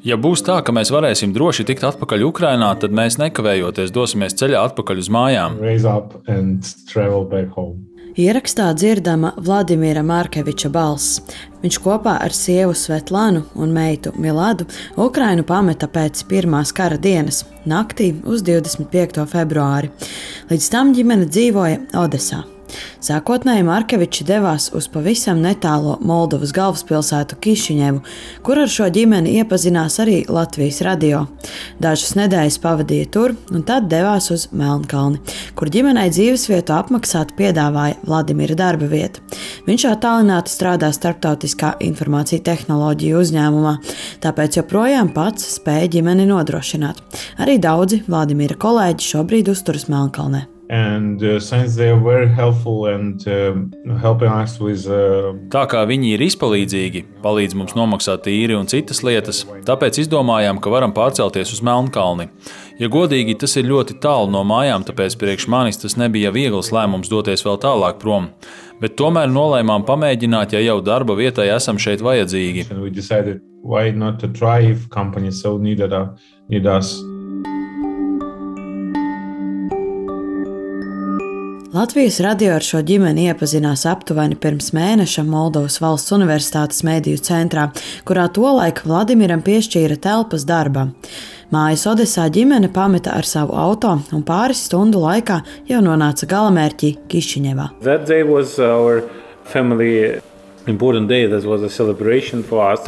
Ja būs tā, ka mēs varēsim droši tikt atpakaļ Ukrainā, tad mēs nekavējoties dosimies ceļā atpakaļ uz mājām. Ierakstā dzirdama Vladimira Markeviča balss. Viņš kopā ar sievu Svetlanu un meitu Miladu Ukrainu pameta pēc pirmās kara dienas, naktī uz 25. februāri. Līdz tam ģimene dzīvoja Odesā. Sākotnēji Markeviči devās uz pavisam netālo Moldovas galvaspilsētu Kišiņevu, kur ar šo ģimeni iepazinās arī Latvijas radio. Dažas nedēļas pavadīja tur un tad devās uz Melnkalni, kur ģimenei dzīvesvietu apmaksāt piedāvāja Vladimira darba vieta. Viņš attālināti strādā starptautiskā informācija tehnoloģiju uzņēmumā, tāpēc joprojām pats spēja ģimeni nodrošināt. Arī daudzi Vladimira kolēģi šobrīd uzturas Melnkalnē. Tā kā viņi ir izpalīdzīgi, palīdz mums nomaksāt īri un citas lietas, tāpēc izdomājām, ka varam pārcelties uz Melnkalni. Ja godīgi, tas ir ļoti tālu no mājām, tāpēc priekš manis tas nebija viegls lēmums doties vēl tālāk prom. Bet tomēr nolēmām pamēģināt, ja jau darba vietai esam šeit vajadzīgi. Latvijas radio ar šo ģimeni iepazinās aptuveni pirms mēneša Moldovas valsts universitātes mediju centrā, kurā tolaik Vladimiram piešķīra telpas darbam. Mājas Odesā ģimene pameta ar savu auto un pāris stundu laikā jau nonāca galamērķī Kišiņevā.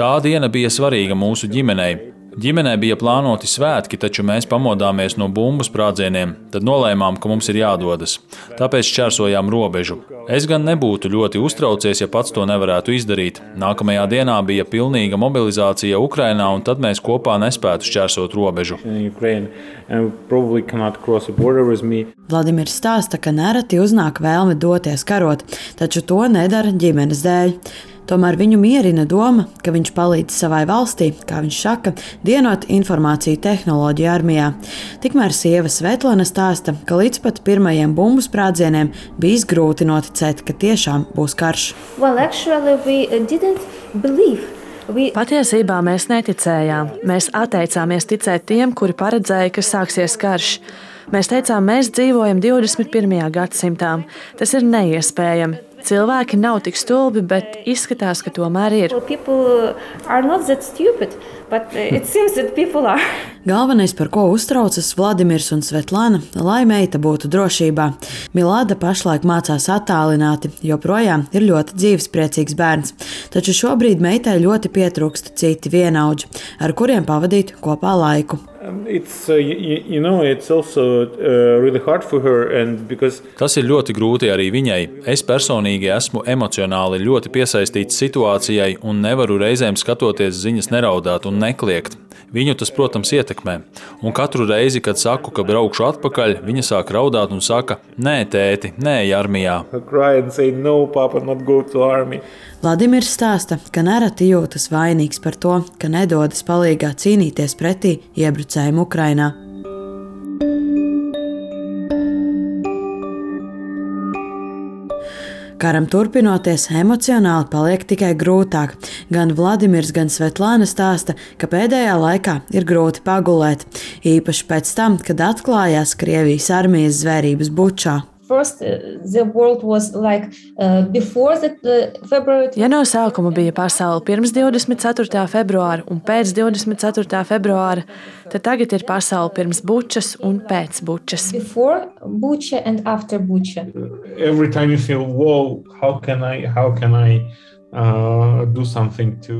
Tā diena bija svarīga mūsu ģimenei. Ģimenē bija plānoti svētki, taču mēs pamodāmies no bumbu sprādzieniem, tad nolēmām, ka mums ir jādodas. Tāpēc šķērsojām robežu. Es gan nebūtu ļoti uztraucies, ja pats to nevarētu izdarīt. Nākamajā dienā bija pilnīga mobilizācija Ukrainā, un tad mēs kopā nespētu šķērsot robežu. Vladimirs stāsta, ka nereti uznāk vēlme doties karot, taču to nedara ģimenes dēļ. Tomēr viņu mierina doma, ka viņš palīdz savai valstī, kā viņš saka, dienot informāciju tehnoloģiju armijā. Tikmēr sieva Svetlana stāsta, ka līdz pat pirmajiem bumbu sprādzieniem bijis grūti noticēt, ka tiešām būs karš. Patiesībā mēs neticējām. Mēs atteicāmies ticēt tiem, kuri paredzēja, ka sāksies karš. Mēs teicām, mēs dzīvojam 21. gadsimtā. Tas ir neiespējami. Cilvēki nav tik stulbi, bet izskatās, ka tomēr ir. Galvenais, par ko uztraucas Vladimirs un Svetlana, lai meita būtu drošībā. Milada pašlaik mācās attālināti, joprojām ir ļoti dzīvespriecīgs bērns. Taču šobrīd meitai ļoti pietrūkst citi vienaudži, ar kuriem pavadīt kopā laiku. Tas ir ļoti grūti arī viņai. Es personīgi esmu emocionāli ļoti piesaistīts situācijai un nevaru reizēm skatoties ziņas neraudāt un nekliegt. Viņu tas, protams, ietekmē. Un katru reizi, kad saku, ka braukšu atpakaļ, viņa sāk raudāt un saka: "Nē, tēti, nē, armijā." Vladimirs stāsta, ka nereti jūtas vainīgs par to, ka nedodas palīgā cīnīties pretī iebrucējiem Ukrainā. Karam turpinoties, emocionāli paliek tikai grūtāk. Gan Vladimirs, gan Svetlana stāsta, ka pēdējā laikā ir grūti pagulēt, īpaši pēc tam, kad atklājās Krievijas armijas zvērības Bučā. Ja no sākuma bija pasaule pirms 24. februāra un pēc 24. februāra, tad tagad ir pasaule pirms Bučas un pēc Bučas.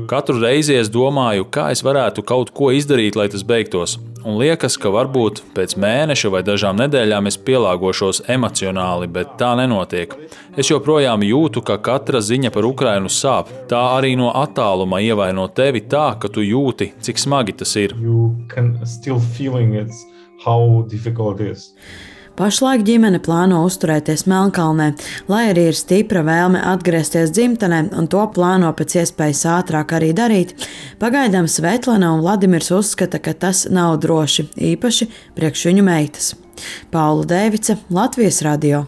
Katru reizi es domāju, kā es varētu kaut ko izdarīt, lai tas beigtos. Un liekas, ka varbūt pēc mēneša vai dažām nedēļām es pielāgošos emocionāli, bet tā nenotiek. Es joprojām jūtu, ka katra ziņa par Ukrainu sāp. Tā arī no attāluma ievaino tevi tā, ka tu jūti, cik smagi tas ir. Pašlaik ģimene plāno uzturēties Melnkalnē, lai arī ir stipra vēlme atgriezties dzimtenē un to plāno pēc iespējas ātrāk arī darīt. Pagaidām Svetlana un Vladimirs uzskata, ka tas nav droši, īpaši priekš viņu meitas. Paula Dēvice, Latvijas radio.